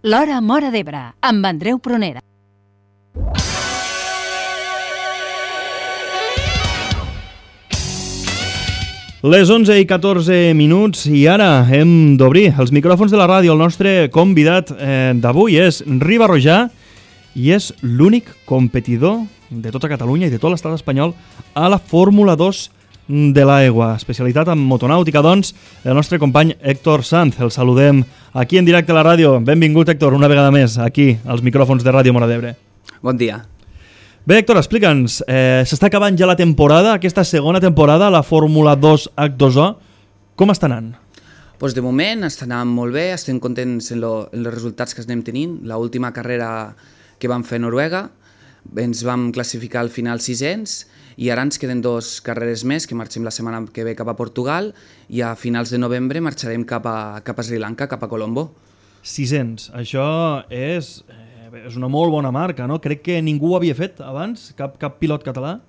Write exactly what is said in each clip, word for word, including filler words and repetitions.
L'Hora Móra d'Ebre, amb Andreu Prunera. Les onze i catorze minuts i ara hem d'obrir els micròfons de la ràdio. El nostre convidat eh, d'avui és Riba Rojà i és l'únic competidor de tota Catalunya i de tot l'estat espanyol a la Fórmula dos de l'aigua. Especialitat en motonàutica, doncs, el nostre company Héctor Sanz. El saludem aquí en directe a la ràdio. Benvingut, Héctor, una vegada més aquí als micròfons de Ràdio Móra d'Ebre. Bon dia. Bé, Héctor, explica'ns, eh, s'està acabant ja la temporada, aquesta segona temporada, la Fórmula dos H dos O. Com està anant? Pues de moment està anant molt bé, estem contents en, lo, en els resultats que estem tenint. L'última carrera que vam fer a Noruega, ens vam classificar al final sisens i ara ens queden dos carreres més, que marxem la setmana que ve cap a Portugal i a finals de novembre marxarem cap a, cap a Sri Lanka, cap a Colombo. sisens, això és... És una molt bona marca, no? Crec que ningú ho havia fet abans, cap, cap pilot català.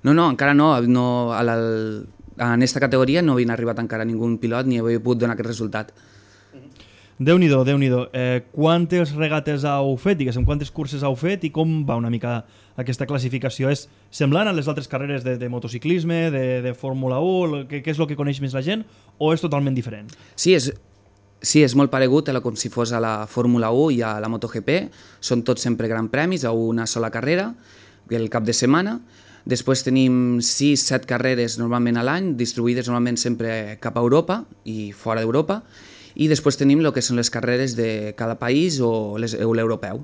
No, no, encara no. no a la, en aquesta categoria no havien arribat encara ningú pilot ni havia pogut donar aquest resultat. Déu-n'hi-do, Déu-n'hi-do. Eh, quantes regates heu fet, diguéssim, quantes curses heu fet i com va una mica aquesta classificació? És semblant a les altres carreres de, de motociclisme, de, de Fórmula un, què, què és el que coneix més la gent, o és totalment diferent? Sí, és... Sí, és molt paregut a la, com si fos a la Fórmula un i a la MotoGP. Són tots sempre gran premis a una sola carrera, el cap de setmana. Després tenim sis set carreres normalment a l'any, distribuïdes normalment sempre cap a Europa i fora d'Europa. I després tenim el que són les carreres de cada país o l'europeu.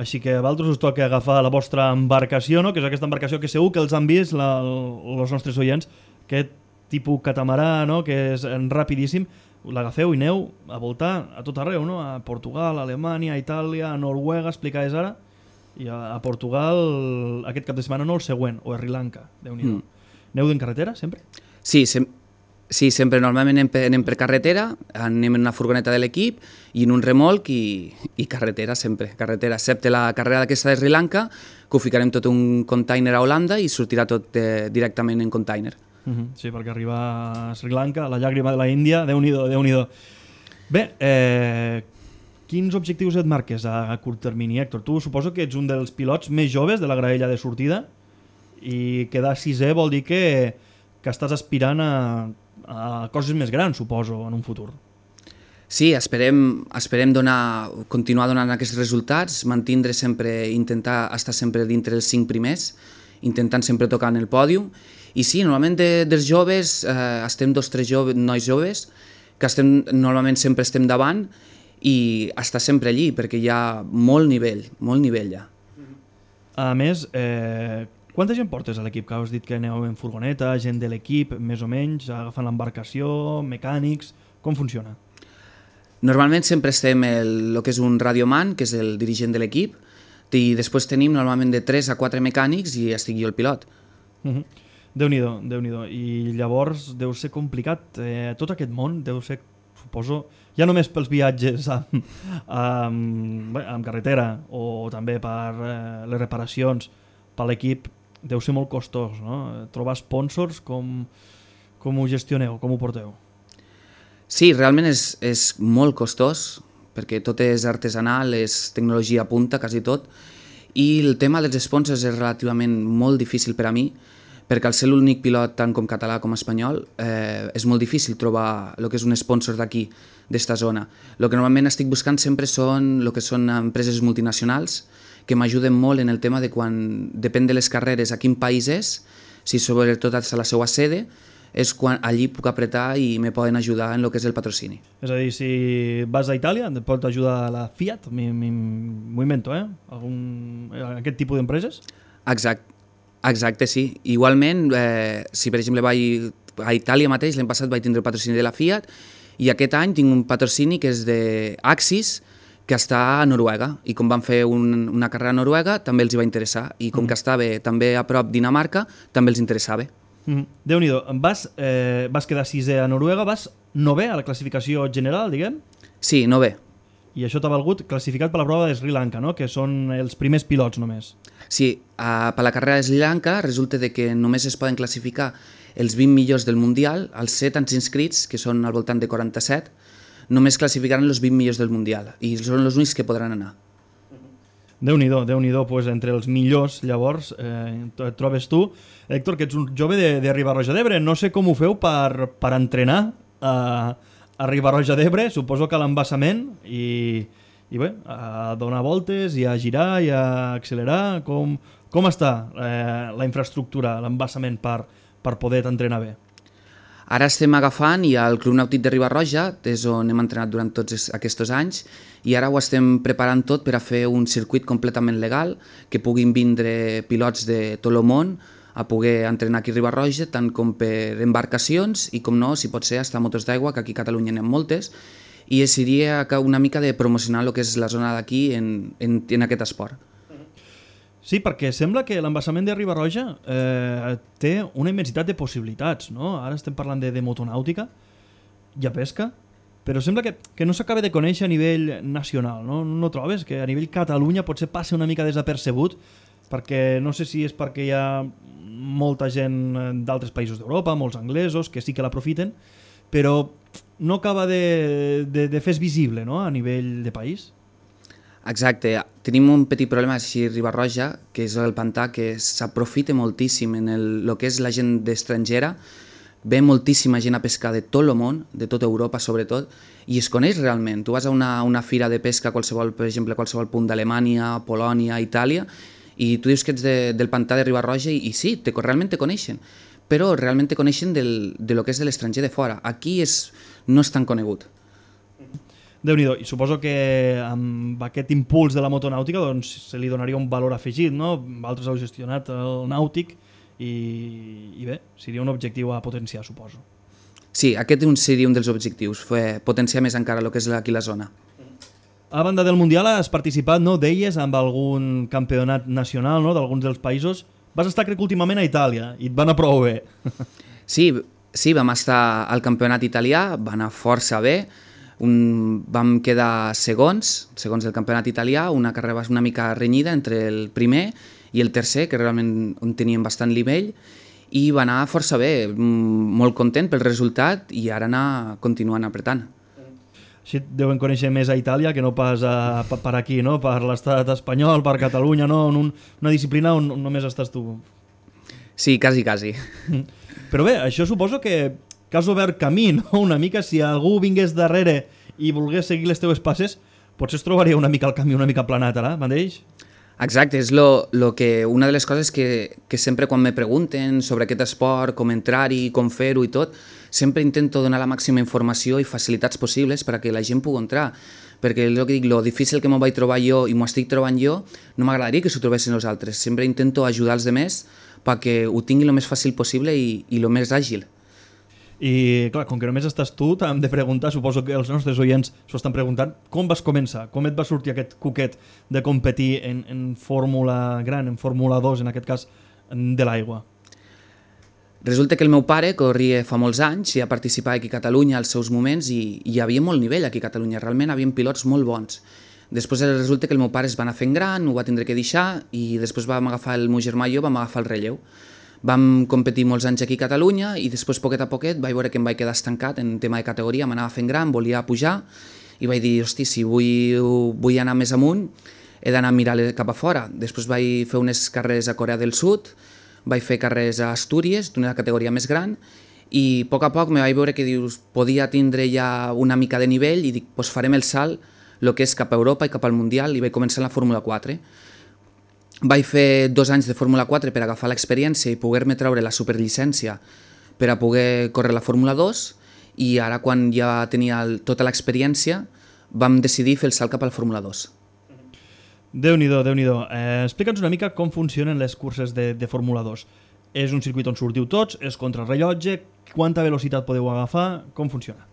Així que a vosaltres us toca agafar la vostra embarcació, no? Que és aquesta embarcació que segur que els han vist la, els nostres oients, aquest tipus catamarà, no? Que és rapidíssim. L'agafeu i aneu a voltar a tot arreu, no? A Portugal, a Alemanya, a Itàlia, a Noruega, explicaves ara, i a, a Portugal aquest cap de setmana no, el següent, o a Sri Lanka, Déu-n'hi-do. Mm. Aneu en carretera, sempre? Sí, sem sí, sempre normalment anem per, anem per carretera, anem en una furgoneta de l'equip i en un remolc i, i carretera, sempre, carretera, excepte la carrera d'aquesta de Sri Lanka, que ho ficarem tot un container a Holanda i sortirà tot eh, directament en container. Uh -huh. Sí, perquè arribar a Sri Lanka, la llàgrima de la Índia, Déu-n'hi-do, Déu-n'hi-do. Bé, eh, quins objectius et marques a, a curt termini, Héctor? Tu suposo que ets un dels pilots més joves de la graella de sortida i quedar sisè vol dir que, que estàs aspirant a, a coses més grans, suposo, en un futur. Sí, esperem, esperem donar, continuar donant aquests resultats, mantindre sempre, intentar estar sempre dintre dels cinc primers, intentant sempre tocar en el pòdium. I sí, normalment de, dels joves, eh, estem dos o tres joves, nois joves, que estem, normalment sempre estem davant i està sempre allí, perquè hi ha molt nivell, molt nivell ja. A més, eh, quanta gent portes a l'equip? Que has dit que aneu en furgoneta, gent de l'equip, més o menys, agafant l'embarcació, mecànics, com funciona? Normalment sempre estem el, el que és un radioman, que és el dirigent de l'equip, i després tenim normalment de tres a quatre mecànics i estic jo el pilot. Uh-huh. Déu-n'hi-do, Déu-n'hi-do. I llavors deu ser complicat, eh, tot aquest món deu ser, suposo, ja només pels viatges amb, amb, bé, amb carretera o també per eh, les reparacions per l'equip, deu ser molt costós, no? Trobar sponsors, com, com ho gestioneu, com ho porteu? Sí, realment és, és molt costós, perquè tot és artesanal, és tecnologia a punta, quasi tot, i el tema dels sponsors és relativament molt difícil per a mi, perquè al ser l'únic pilot tant com català com espanyol eh, és molt difícil trobar el que és un sponsor d'aquí, d'esta zona. El que normalment estic buscant sempre són el que són empreses multinacionals que m'ajuden molt en el tema de quan depèn de les carreres a quin país és, si sobretot a la seva sede, és quan allí puc apretar i me poden ajudar en el que és el patrocini. És a dir, si vas a Itàlia, et pot ajudar la Fiat, m'ho invento, eh? Algun, aquest tipus d'empreses? Exacte. Exacte, sí. Igualment, eh, si per exemple vaig a Itàlia mateix, l'any passat vaig tindre el patrocini de la Fiat i aquest any tinc un patrocini que és d'Axis, que està a Noruega, i com van fer un, una carrera a Noruega també els hi va interessar, i com mm. que estava també a prop Dinamarca també els interessava. Mm. Déu-n'hi-do, vas, eh, vas quedar sisè a Noruega, vas novè a la classificació general, diguem? Sí, novè. I això t'ha valgut classificat per la prova de Sri Lanka, no? Que són els primers pilots només. Sí, uh, per la carrera de Sri Lanka resulta de que només es poden classificar els vint millors del Mundial, els set anys inscrits, que són al voltant de quaranta-set, només classificaran els vint millors del Mundial i són els únics que podran anar. Déu-n'hi-do, Déu-n'hi-do, pues, entre els millors, llavors, eh, et trobes tu. Héctor, que ets un jove de, de Riba-roja d'Ebre, no sé com ho feu per, per entrenar a, a Riba-roja d'Ebre, suposo que a l'embassament, i, i bé, a donar voltes, i a girar, i a accelerar, com, com està eh, la infraestructura, l'embassament per, per poder entrenar bé? Ara estem agafant i al Club Nàutic de Riba-roja, és on hem entrenat durant tots aquests anys, i ara ho estem preparant tot per a fer un circuit completament legal, que puguin vindre pilots de tot el món a poder entrenar aquí a Riba-roja, tant com per embarcacions i, com no, si pot ser, hasta motos d'aigua, que aquí a Catalunya n'hi ha moltes, i seria una mica de promocionar el que és la zona d'aquí en, en, en aquest esport. Sí, perquè sembla que l'embassament de Riba-roja eh, té una immensitat de possibilitats, no? Ara estem parlant de, de motonàutica i a pesca, però sembla que, que no s'acaba de conèixer a nivell nacional, no? No trobes que a nivell Catalunya potser passi una mica desapercebut, perquè no sé si és perquè hi ha molta gent d'altres països d'Europa, molts anglesos, que sí que l'aprofiten, però no acaba de, de, de fer-se visible, no? A nivell de país. Exacte, tenim un petit problema així a Riba-roja, que és el pantà, que s'aprofita moltíssim en el, el que és la gent estrangera, ve moltíssima gent a pescar de tot el món, de tota Europa sobretot, i es coneix realment. Tu vas a una, una fira de pesca, qualsevol, per exemple, qualsevol punt d'Alemanya, Polònia, Itàlia, i tu dius que ets de, del pantà de Riba-roja i, i sí, te, realment te coneixen, però realment te coneixen del, de lo que és de l'estranger de fora. Aquí és, no és tan conegut. Déu-n'hi-do, i suposo que amb aquest impuls de la motonàutica doncs, se li donaria un valor afegit, no? Vosaltres heu gestionat el nàutic i, i bé, seria un objectiu a potenciar, suposo. Sí, aquest seria un dels objectius, fer potenciar més encara el que és aquí la zona. A banda del Mundial has participat, no, deies, amb algun campionat nacional, no?, d'alguns dels països. Vas estar, crec que últimament, a Itàlia i et va anar prou bé. Sí, sí, vam estar al campionat italià, va anar força bé. Un, vam quedar segons, segons del campionat italià, una carrera una mica renyida entre el primer i el tercer, que realment on teníem bastant nivell, i va anar força bé, molt content pel resultat i ara anar continuant apretant. Així et deuen conèixer més a Itàlia que no pas a, per aquí, no? Per l'estat espanyol, per Catalunya, no? En un, una disciplina on només estàs tu. Sí, quasi, quasi. Però bé, això suposo que que has obert camí, no? Una mica, si algú vingués darrere i volgués seguir les teves passes, potser es trobaria una mica el camí una mica planat, ara, mateix? Exacte, és lo, lo que, una de les coses que, que sempre quan me pregunten sobre aquest esport, com entrar-hi, com fer-ho i tot, sempre intento donar la màxima informació i facilitats possibles perquè la gent pugui entrar. Perquè el que dic, lo difícil que m'ho vaig trobar jo i m'ho estic trobant jo, no m'agradaria que s'ho trobessin els altres. Sempre intento ajudar els demés perquè ho tinguin el més fàcil possible i, i el més àgil. I clar, com que només estàs tu, t'hem de preguntar, suposo que els nostres oients s'ho estan preguntant, com vas començar? Com et va sortir aquest cuquet de competir en, en Fórmula Gran, en Fórmula dos, en aquest cas, de l'aigua? Resulta que el meu pare corria fa molts anys i ha participat aquí a Catalunya als seus moments i, i hi havia molt nivell aquí a Catalunya, realment hi havia pilots molt bons. Després resulta que el meu pare es va anar fent gran, ho va tindre que deixar i després vam agafar el meu germà i jo vam agafar el relleu. Vam competir molts anys aquí a Catalunya i després, poquet a poquet, vaig veure que em vaig quedar estancat en tema de categoria, m'anava fent gran, volia pujar i vaig dir, hosti, si vull, vull anar més amunt, he d'anar a mirar cap a fora. Després vaig fer unes carreres a Corea del Sud, vaig fer carreres a Astúries, d'una categoria més gran, i a poc a poc me vaig veure que dius, podia tindre ja una mica de nivell i dic, doncs farem el salt, el que és cap a Europa i cap al Mundial, i vaig començar en la Fórmula quatre. Vaig fer dos anys de Fórmula quatre per agafar l'experiència i poder-me treure la superllicència per a poder córrer la Fórmula dos i ara quan ja tenia el, tota l'experiència vam decidir fer el salt cap a la Fórmula dos. Déu-n'hi-do, Déu-n'hi-do. Eh, Explica'ns una mica com funcionen les curses de, de Fórmula dos. És un circuit on sortiu tots, és contra el rellotge, quanta velocitat podeu agafar, com funciona?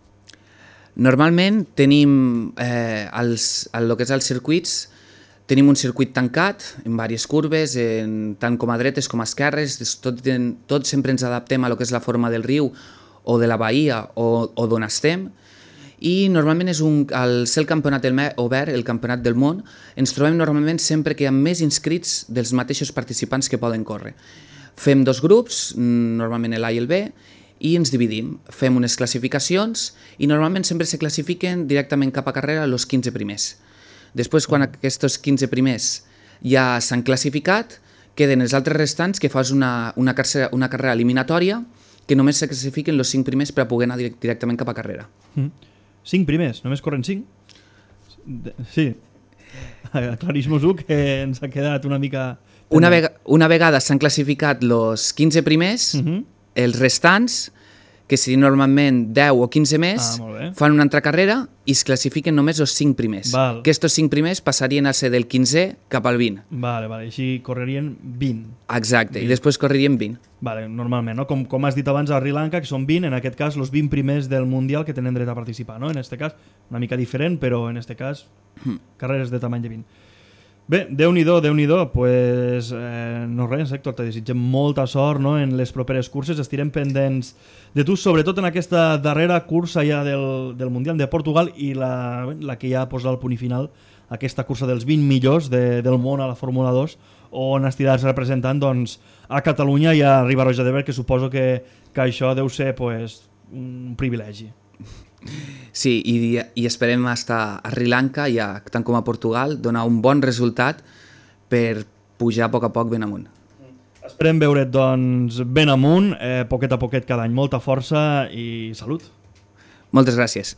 Normalment tenim eh, els, el que és els circuits. Tenim un circuit tancat, en diverses curves, en, tant com a dretes com a esquerres, tot, tot sempre ens adaptem a lo que és la forma del riu o de la bahia o, o d'on estem, i normalment és un, al ser el campionat obert, el campionat del món, ens trobem normalment sempre que hi ha més inscrits dels mateixos participants que poden córrer. Fem dos grups, normalment l'A i el B, i ens dividim. Fem unes classificacions i normalment sempre se classifiquen directament cap a carrera els quinze primers. Després, quan aquests quinze primers ja s'han classificat, queden els altres restants que fas una, una, carrera, una carrera eliminatòria que només se classifiquen els cinc primers per a poder anar direct, directament cap a carrera. Mm. Cinc primers? Només corren cinc? Sí. Aclarís-mos-ho, que ens ha quedat una mica... Una, vega, una vegada s'han classificat els quinze primers, uh-huh. els restants, que serien normalment deu o quinze més, ah, fan una altra carrera i es classifiquen només els cinc primers. Val. Que estos cinc primers passarien a ser del quinzè cap al vint. Vale, vale. Així correrien vint. Exacte, vint. I després correrien vint. Vale, normalment, no? Com, com has dit abans a Sri Lanka, que són vint, en aquest cas, els vint primers del Mundial que tenen dret a participar, no? En aquest cas, una mica diferent, però en aquest cas, mm. carreres de tamany de vint. Bé, Déu-n'hi-do, Déu-n'hi-do, pues, eh, no res, Héctor, te desitgem molta sort, no? En les properes curses, estirem pendents de tu, sobretot en aquesta darrera cursa ja del, del Mundial de Portugal i la, la que ja posa el punt i final, aquesta cursa dels vint millors de, del món a la Fórmula dos, on estiràs representant doncs, a Catalunya i a Riba-roja d'Ebre, que suposo que, que això deu ser pues, un privilegi. Sí, i, i esperem estar a Sri Lanka, ja, tant com a Portugal, donar un bon resultat per pujar a poc a poc ben amunt. Esperem veure't doncs, ben amunt, eh, poquet a poquet cada any. Molta força i salut. Moltes gràcies.